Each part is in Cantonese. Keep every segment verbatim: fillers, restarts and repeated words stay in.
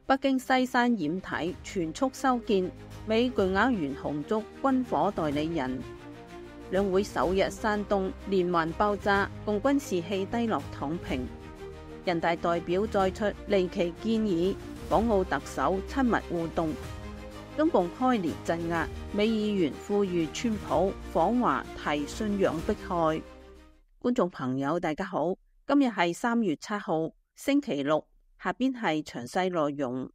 北京西山掩體全速修建，美巨額懸紅燭軍火代理人。兩會首日山東連環爆炸，共軍士氣低落躺平。人大代表再出離奇建議，港澳特首親密互動。中共開年鎮壓，美議員呼籲川普訪華提信仰迫害。觀眾朋友大家好，今日係三月七號星期六，下邊係詳細內容。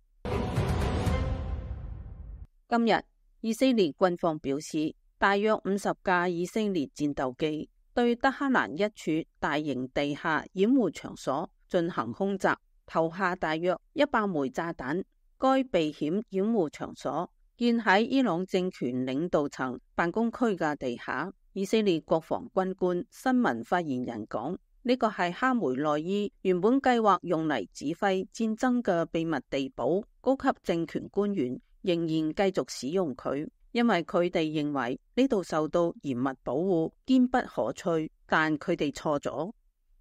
今日以色列軍方表示，大約五十架以色列戰鬥機對德黑蘭一處大型地下掩護場所進行空襲，投下大約一百枚炸彈。該避險掩護場所建喺伊朗政權領導層辦公區嘅地下。以色列國防軍官新聞發言人講，呢個係哈梅內伊原本計劃用嚟指揮戰爭嘅秘密地堡，高級政權官員仍然繼續使用佢，因為佢哋認為呢度受到嚴密保護，堅不可摧。但佢哋錯咗。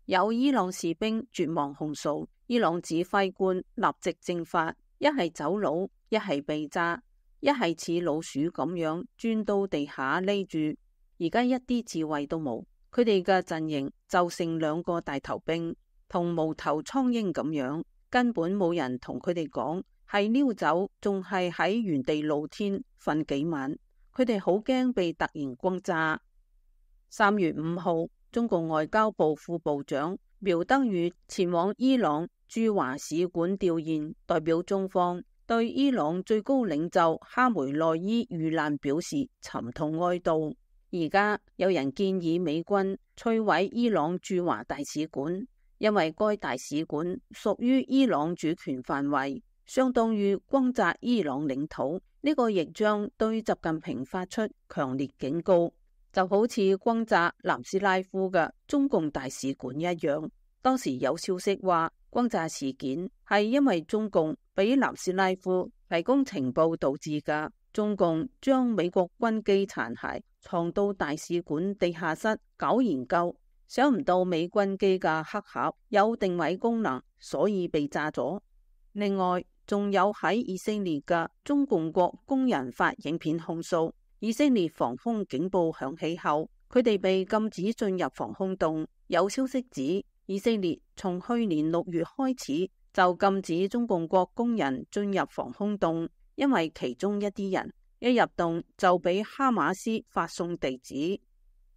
有伊朗士兵絕望控訴，伊朗指揮官立即蒸發，一係走佬，一係被炸，一係似老鼠咁樣鑽到地下匿住。而家一啲智慧都冇，佢哋嘅陣營就剩兩個大頭兵，同無頭蒼蠅咁樣，根本冇人同佢哋講係溜走，仲係喺原地露天瞓幾晚。佢哋好驚被突然轟炸。三月五號，中共外交部副部長苗德宇前往伊朗駐華使館弔唁，代表中方對伊朗最高領袖哈梅內伊遇難表示沉痛哀悼。而家有人建議美軍摧毀伊朗駐華大使館，因為該大使館屬於伊朗主權範圍，相當於轟炸伊朗領土。呢個亦將對習近平發出強烈警告，就好似轟炸南斯拉夫嘅中共大使館一樣。當時有消息話，轟炸事件係因為中共俾南斯拉夫提供情報導致㗎。中共將美國軍機殘骸藏到大使館地下室搞研究，想唔到美軍機嘅黑盒有定位功能，所以被炸咗。另外，仲有喺以色列嘅中共國工人發影片控訴，以色列防空警報響起後，佢哋被禁止進入防空洞。有消息指，以色列從去年六月開始就禁止中共國工人進入防空洞，因為其中一啲人一入洞就俾哈馬斯發送地址。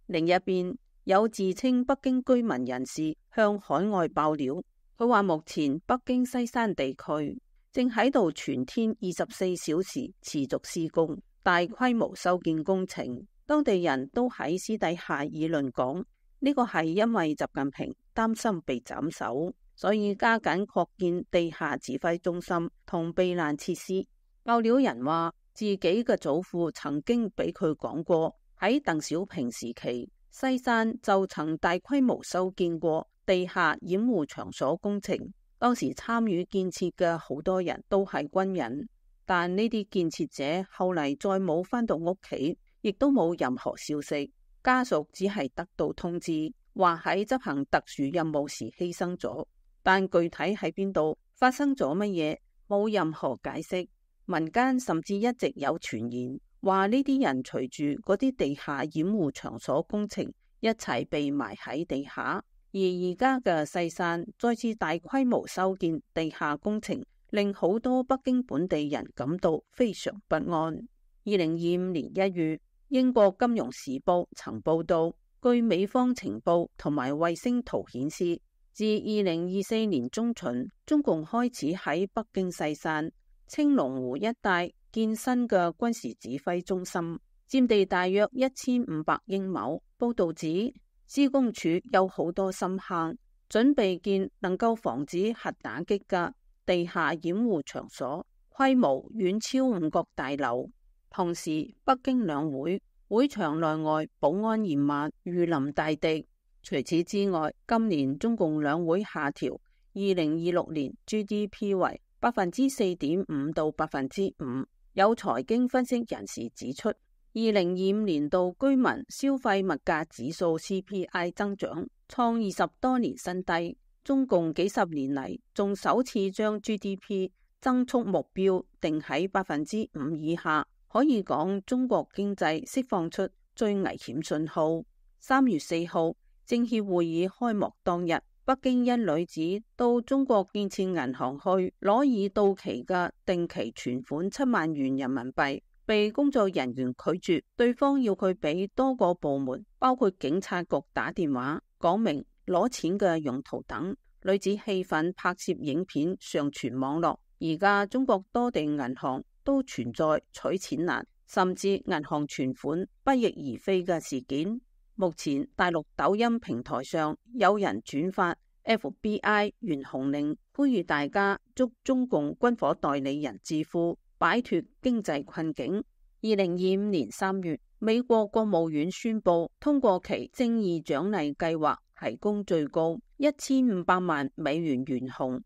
另一邊，有自稱北京居民人士向海外爆料，佢話目前北京西山地區正喺度全天二十四小時持續施工大規模修建工程。當地人都喺私底下議論講，呢個係因為習近平擔心被斬首，所以加緊擴建地下指揮中心同避難設施。爆料人話，自己嘅祖父曾經俾佢講過，喺鄧小平時期，西山就曾大規模修建過地下掩護場所工程。當時參與建設嘅好多人都係軍人，但呢啲建設者後嚟再冇返到屋企，亦都冇任何消息。家屬只係得到通知，話喺執行特殊任務時犧牲咗，但具體喺邊度發生咗乜嘢，冇任何解釋。民間甚至一直有傳言，話呢啲人隨住嗰啲地下掩護場所工程一齊被埋喺地下。而而家嘅西山再次大規模修建地下工程，令好多北京本地人感到非常不安。二零二五年一月，英國金融時報曾報道，據美方情報同埋衛星圖顯示，自二零二四年中旬，中共開始喺北京西山、青龍湖一帶建新嘅軍事指揮中心，佔地大約一千五百英畝。報道指，施工處有好多深坑，準備建能夠防止核打擊嘅地下掩護場所，規模遠超五角大樓。同時，北京兩會會場內外保安嚴密，如臨大敵。除此之外，今年中共兩會下調二零二六年 G D P 為百分之四點五到百分之五。有財經分析人士指出，二零二五年度居民消費物價指數 C P I 增長創二十多年新低，中共幾十年嚟仲首次將 G D P 增速目標定喺百分之五以下，可以講中國經濟釋放出最危險信號。三月四號，政協會議開幕當日，北京一女子到中國建設銀行去攞已到期嘅定期存款七萬元人民幣，被工作人員拒絕，對方要佢俾多個部門，包括警察局打電話，講明攞錢嘅用途等。女子氣憤拍攝影片上傳網絡。而家中國多地銀行都存在取錢難，甚至銀行存款不翼而飛嘅事件。目前大陸抖音平台上有人轉發 F B I 袁紅令呼籲大家祝中共軍火代理人致富，擺脫經濟困境。二零二五年三月，美國國務院宣布通過其正義獎勵計劃，提供最高一千五百萬美元懸紅，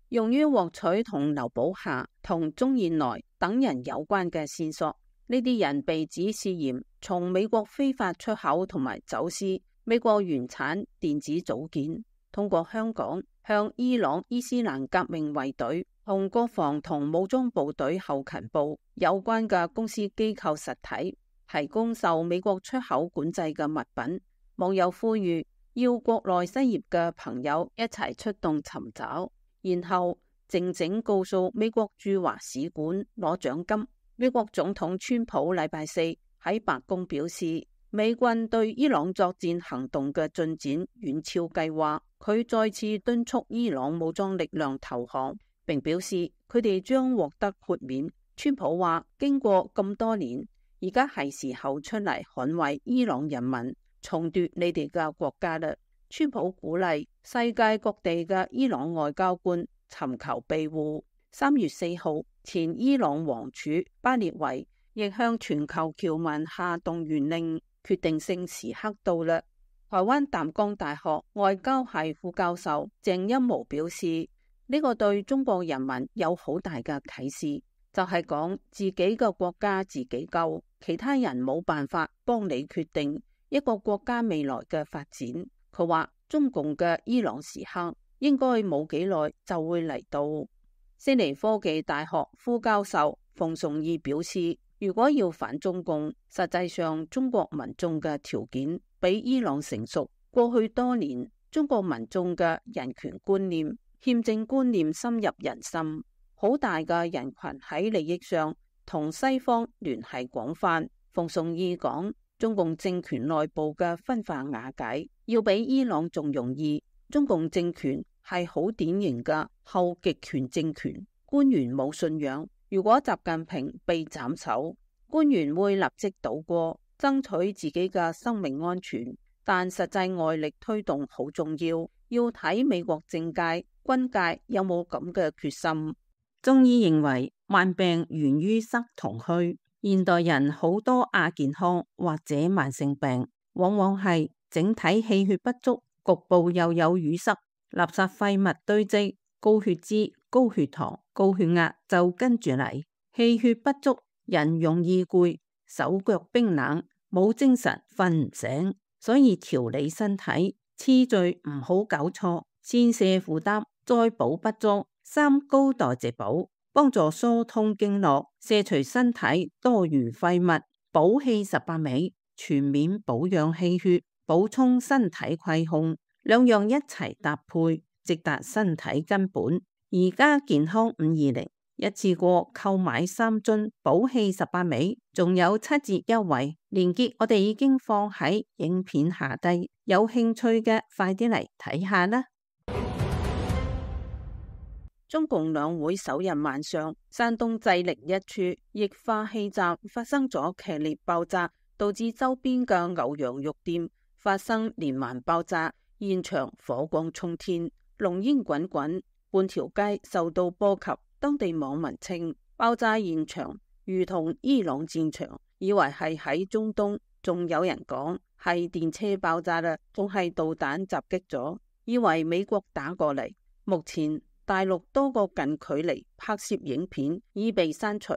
用於獲取同劉寶霞同鍾燕來等人有關嘅線索。呢啲人被指涉嫌從美國非法出口同埋走私美國原產電子組件，通過香港向伊朗伊斯蘭革命衛隊同國防同武裝部隊後勤部有關嘅公司機構實體提供受美國出口管制嘅物品。網友呼籲要國內失業嘅朋友一齊出動尋找，然後靜靜告訴美國駐華使館攞獎金。美國總統川普禮拜四喺白宮表示，美軍對伊朗作戰行動嘅進展遠超計劃。佢再次敦促伊朗武裝力量投降，並表示佢哋將獲得豁免。川普話：經過咁多年，而家係時候出嚟捍衛伊朗人民，重奪你哋嘅國家啦。川普鼓勵世界各地嘅伊朗外交官尋求庇護。三月四號，前伊朗王儲巴列維亦向全球僑民下動員令，決定性時刻到啦。台灣淡江大學外交系副教授鄭欽模表示，呢、這個對中國人民有好大嘅啟示，就係、是、講自己嘅國家自己救，其他人冇辦法幫你決定一個國家未來嘅發展。佢話中共嘅伊朗時刻應該冇幾耐就會嚟到。悉尼科技大學副教授馮崇義表示，如果要反中共，實際上中國民眾嘅條件比伊朗成熟。過去多年，中國民眾嘅人權觀念、憲政觀念深入人心，好大嘅人群喺利益上同西方聯繫廣泛。馮崇義講，中共政權內部嘅分化瓦解要比伊朗仲容易。中共政權係好典型嘅後極權政權，官員冇信仰。如果習近平被斬首，官員會立即倒戈，爭取自己嘅生命安全。但實際外力推動好重要，要睇美國政界、軍界有冇咁嘅決心。中醫認為，慢病源於失同虛。現代人好多亞健康或者慢性病，往往係整體氣血不足，局部又有淤塞。垃圾廢物堆積，高血脂、高血糖、高血壓就跟住嚟。氣血不足，人容易攰，手腳冰冷，冇精神，瞓唔醒。所以調理身體次序唔好搞錯，先瀉負擔，再補不足。三高代謝補，幫助疏通經絡，卸除身體多餘廢物。補氣十八味，全面保養氣血，補充身體虧空。兩樣一齊搭配，直達身體根本。而家健康五二零一次過購買三樽補氣十八味，仲有七折優惠，鏈接我哋已經放喺影片下低，有興趣嘅快啲嚟睇下啦。中共兩會首日晚上，山東濟寧一處液化氣站發生咗劇烈爆炸，導致周邊嘅牛羊肉店發生連環爆炸。現場火光衝天，濃煙滾滾，半條街受到波及。當地網民稱，爆炸現場如同伊朗戰場，以為係喺中東，仲有人講係電車爆炸啦，仲係導彈襲擊咗，以為美國打過嚟。目前大陸多個近距離拍攝影片已被刪除。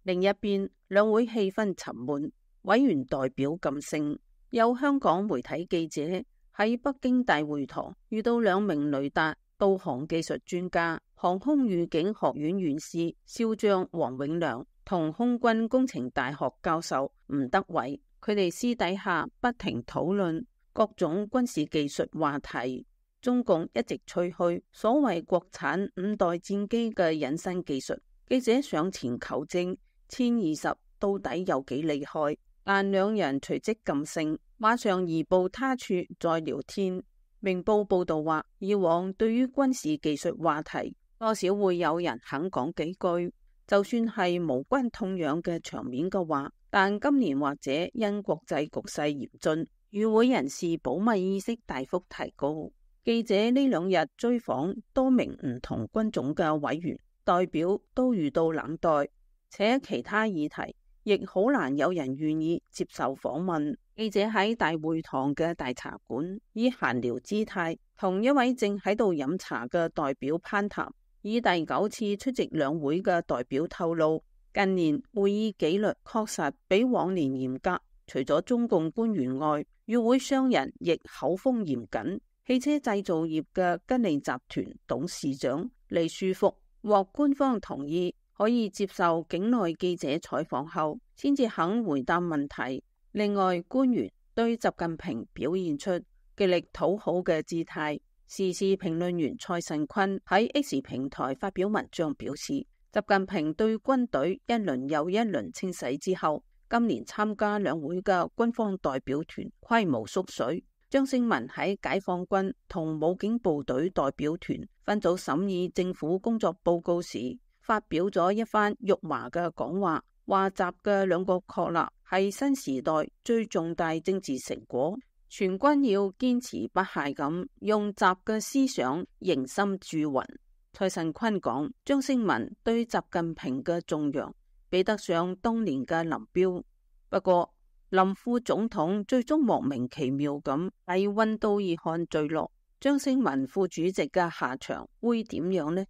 另一邊，兩會氣氛沉悶，委員代表噤聲。有香港媒體記者喺北京大會堂遇到兩名雷達導航技術專家，航空預警學院院士少將黃永良同空軍工程大學教授吳德偉，佢哋私底下不停討論各種軍事技術話題。中共一直吹噓所謂國產五代戰機嘅隱身技術，記者上前求證殲二十到底有幾厲害，但兩人隨即噤聲，馬上移步他處再聊天。明報報道話，以往對於軍事技術話題，多少會有人肯講幾句，就算係無關痛癢嘅場面嘅話，但今年或者因國際局勢嚴峻，與會人士保密意識大幅提高。記者呢兩日追訪多名唔同軍種嘅委員代表，都遇到冷待，且其他議題亦好難有人願意接受訪問。記者喺大會堂嘅大茶館以閒聊姿態同一位正喺度飲茶嘅代表攀談。以第九次出席兩會嘅代表透露，近年會議紀律確實比往年嚴格，除咗中共官員外，與會商人亦口風嚴謹。汽車製造業嘅吉利集團董事長李書福獲官方同意可以接受境內記者採訪後，先至肯回答問題。另外，官員對習近平表現出極力討好嘅姿態。時事評論員蔡慎坤喺 X 平台發表文章表示，習近平對軍隊一輪又一輪清洗之後，今年參加兩會嘅軍方代表團規模縮水。張勝文喺解放軍同武警部隊代表團分組審議政府工作報告時，發表咗一番辱華嘅講話，話習嘅兩個確立係新時代最重大政治成果，全軍要堅持不懈咁用習嘅思想凝心鑄魂。蔡慎坤講，張勝文對習近平嘅頌揚比得上當年嘅林彪，不過林副總統最終莫名其妙咁喺溫都爾汗墜落，張勝文副主席嘅下場會點樣呢？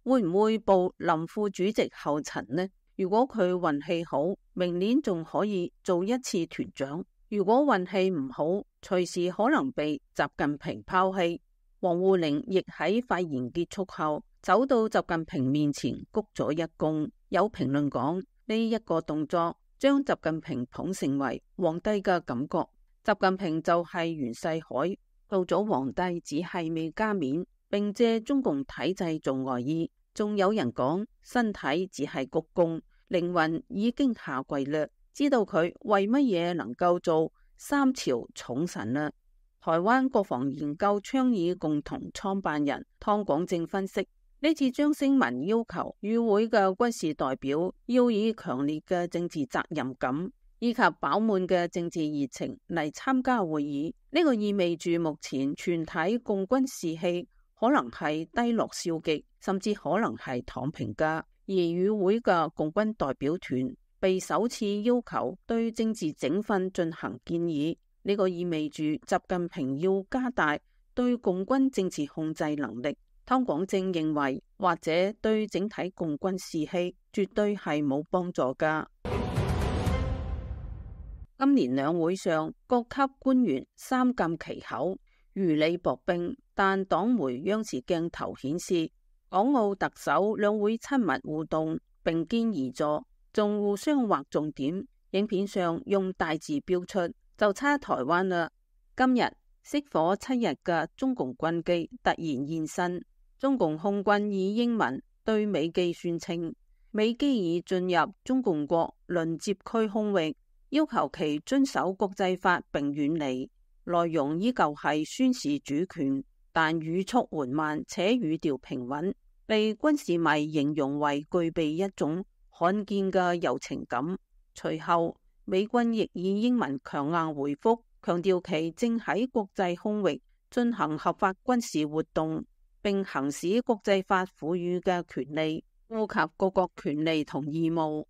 會唔會步林副主席後塵呢？如果佢運氣好，明年仲可以做一次團長；如果運氣唔好，隨時可能被習近平拋棄。王滬寧亦喺發言結束後走到習近平面前鞠咗一躬。有評論講，呢一個動作將習近平捧成為皇帝嘅感覺。習近平就係袁世凱，到咗皇帝只係未加冕，並借中共體制做外衣。仲有人講，身體只係鞠躬，靈魂已經下跪啦。知道佢為乜嘢能夠做三朝寵臣啦？台灣國防研究倡議共同創辦人湯廣正分析，呢次張勝文要求與會嘅軍事代表要以強烈嘅政治責任感以及飽滿嘅政治熱情嚟參加會議，呢個意味住目前全體共軍士氣可能係低落消極，甚至可能係躺平噶。而與會嘅共軍代表團被首次要求對政治整訓進行建議，呢個意味住習近平要加大對共軍政治控制能力。湯廣正認為，或者對整體共軍士氣絕對係冇幫助噶。今年兩會上，各級官員三緘其口，如履薄冰，但黨媒央視鏡頭顯示，港澳特首兩會親密互動，並肩而坐，仲互相劃重點。影片上用大字標出，就差台灣啦。今日熄火七日嘅中共軍機突然現身，中共空軍以英文對美機宣稱，美機已進入中共國鄰接區空域，要求其遵守國際法並遠離。內容依舊係宣示主權，但語速緩慢且語調平穩，被軍事迷形容為具備一種罕見嘅柔情感。隨後美軍亦以英文強硬回覆，強調其正喺國際空域進行合法軍事活動，並行使國際法賦予嘅權利，顧及各國權利同義務。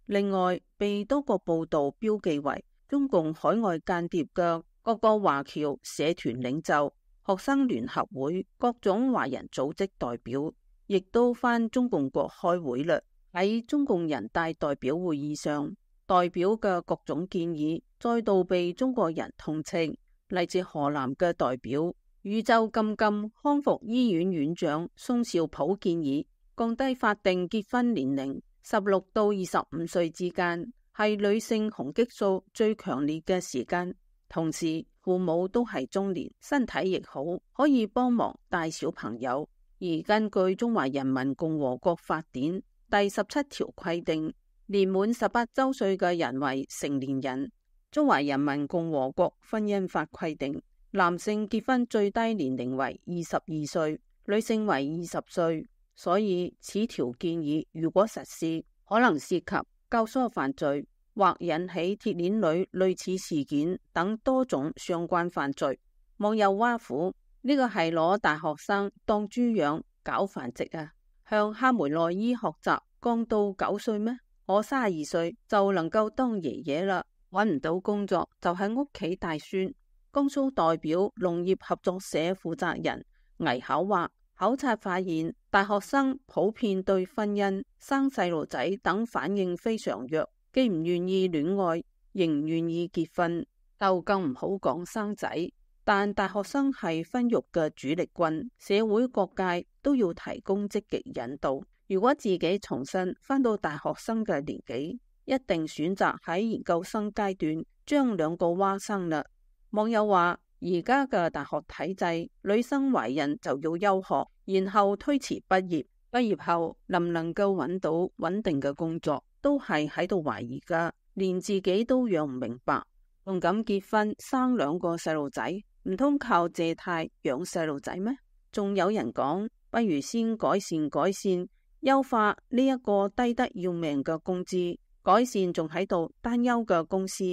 另外，被多個報道標記為中共海外間諜嘅各個華僑社團領袖、學生聯合會、各種華人組織代表，亦都返中共國開會啦。喺中共人大代表會議上，代表嘅各種建議再度被中國人痛斥。嚟自河南嘅代表宇宙金金康復醫院院長宋兆普建議降低法定結婚年齡，十六到二十五歲之間係女性雄激素最強烈嘅時間，同時父母都係中年，身體亦好，可以幫忙帶小朋友。而根據《中華人民共和國法典》第十七條規定，年滿十八周歲嘅人為成年人。《中華人民共和國婚姻法》規定，男性結婚最低年齡為二十二歲，女性為二十歲。所以此條建議如果實施，可能涉及教唆犯罪或引起鐵鏈女類似事件等多種相關犯罪。網友挖苦，呢個係攞大學生當豬養搞繁殖啊！向哈梅內伊學習降到九歲咩？我三十二歲就能夠當爺爺啦，搵唔到工作就喺屋企帶孫。江蘇代表農業合作社負責人倪巧話，考察發現大學生普遍對婚姻、生細路仔等反應非常弱，既唔願意戀愛，仍唔願意結婚，就更唔好講生仔。但大學生係婚育嘅主力軍，社會各界都要提供積極引導。如果自己重新返到大學生嘅年紀，一定選擇喺研究生階段將兩個娃生啦。網友話，而家嘅大學體制，女生懷孕就要休學，然後推遲畢業，畢業後能唔能夠揾到穩定嘅工作，都係喺度懷疑噶，連自己都養唔明白，仲敢結婚生兩個細路仔？唔通靠借貸養細路仔咩？仲有人講，不如先改善改善，優化呢一個低得要命嘅工資，改善仲喺度擔憂嘅公司，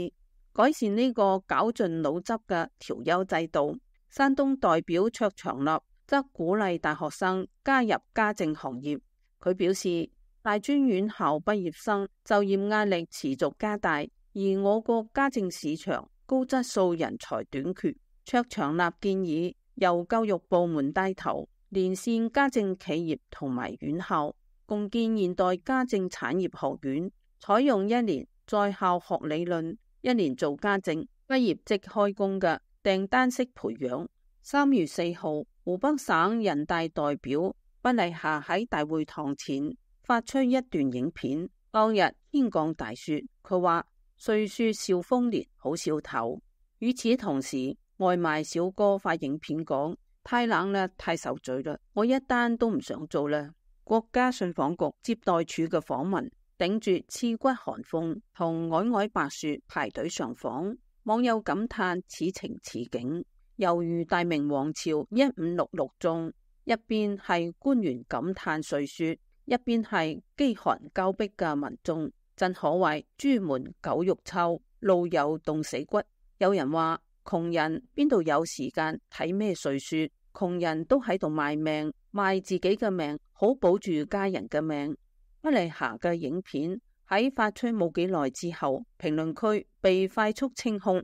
改善呢個絞盡腦汁嘅調優制度。山東代表卓長立則鼓勵大學生加入家政行業。佢表示，大專院校畢業生就業壓力持續加大，而我國家政市場高質素人才短缺。卓長立建議由教育部門帶頭，連線家政企業同埋院校，共建現代家政產業學院，採用一年在校學理論，一年做家政，畢業即開工嘅訂單式培養。三月四號，湖北省人大代表畢麗霞喺大會堂前發出一段影片。當日天降大雪，佢話歲說兆豐年，好兆頭。與此同時，外賣小哥發影片講，太冷啦，太受罪啦，我一單都唔想做啦。國家信訪局接待處嘅訪民頂住刺骨寒風同皚皚白雪排隊上訪，網友感嘆此情此景，猶如大明王朝一五六六中，一邊係官員感嘆歲雪，一邊係飢寒交迫嘅民眾，真可謂朱門酒肉臭，路有凍死骨。有人話，窮人邊度有時間睇咩歲雪？窮人都喺度賣命，賣自己嘅命，好保住家人嘅命。畢麗霞嘅影片喺發出冇幾耐之後，評論區被快速清空。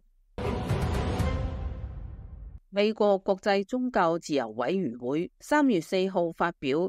美國國際宗教自由委員會三月四號發表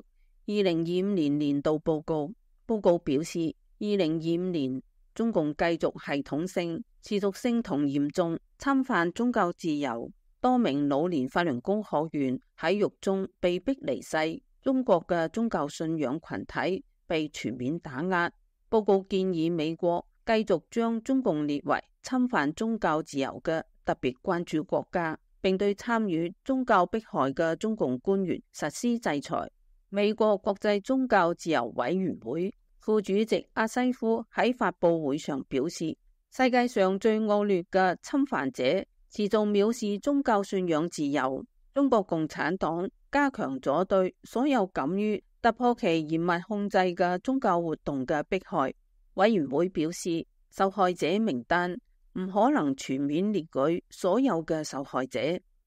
二零二五年年度報告，報告表示，二零二五年中共繼續系統性、持續性同嚴重侵犯宗教自由，多名老年法輪功學員喺獄中被逼離世，中國嘅宗教信仰群體被全面打壓。報告建議美國繼續將中共列為侵犯宗教自由嘅特別關注國家，並對參與宗教迫害嘅中共官員實施制裁。美國國際宗教自由委員會副主席阿西夫喺發佈會上表示，世界上最惡劣嘅侵犯者持續藐視宗教信仰自由。中國共產黨加強咗對所有敢於突破其嚴密控制嘅宗教活動嘅迫害。委員會表示，受害者名單唔可能全面列舉所有嘅受害者，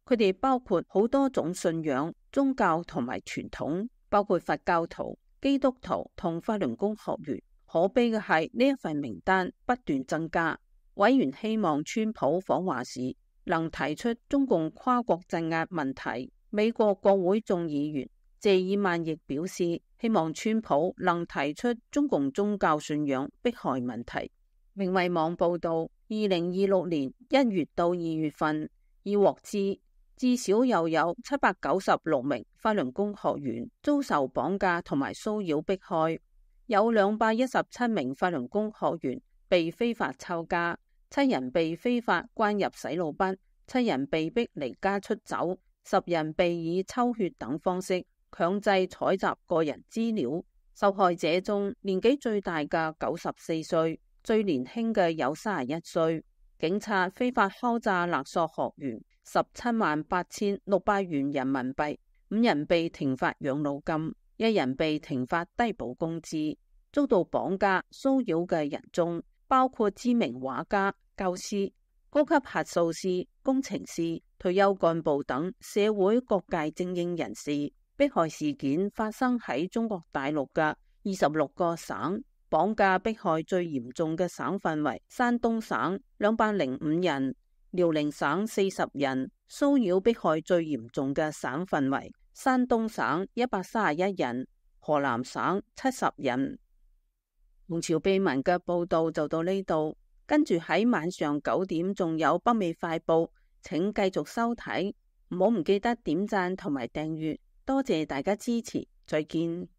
佢哋包括好多種信仰、宗教同埋傳統，包括佛教徒、基督徒同法輪功學員。可悲嘅係呢一份名單不斷增加。委員希望川普訪華時能提出中共跨國鎮壓問題。美國國會眾議員謝爾曼亦表示，希望川普能提出中共宗教信仰迫害問題。明慧網報道，二零二六年一月到二月份已獲知至少又有七百九十六名法輪功學員遭受綁架同埋騷擾迫害，有兩百一十七名法輪功學員被非法抄家，七人被非法關入洗腦班，七人被逼離家出走，十人被以抽血等方式強制採集個人資料。受害者中年紀最大嘅九十四歲，最年輕嘅有三十一歲。警察非法敲詐勒索學員十七萬八千六百元人民幣，五人被停發養老金，一人被停發低保工資。遭到綁架騷擾嘅人中，包括知名畫家、教師、高級核數師、工程師、退休幹部等社會各界精英人士。迫害事件發生喺中國大陸嘅二十六個省。綁架迫害最嚴重嘅省份為山東省兩百零五人，遼寧省四十人；騷擾迫害最嚴重嘅省份為山東省一百三十一人，河南省七十人。王朝秘聞嘅報道就到呢度，跟住喺晚上九點仲有北美快報，請繼續收睇，唔好唔記得點讚同埋訂閱，多謝大家支持，再見。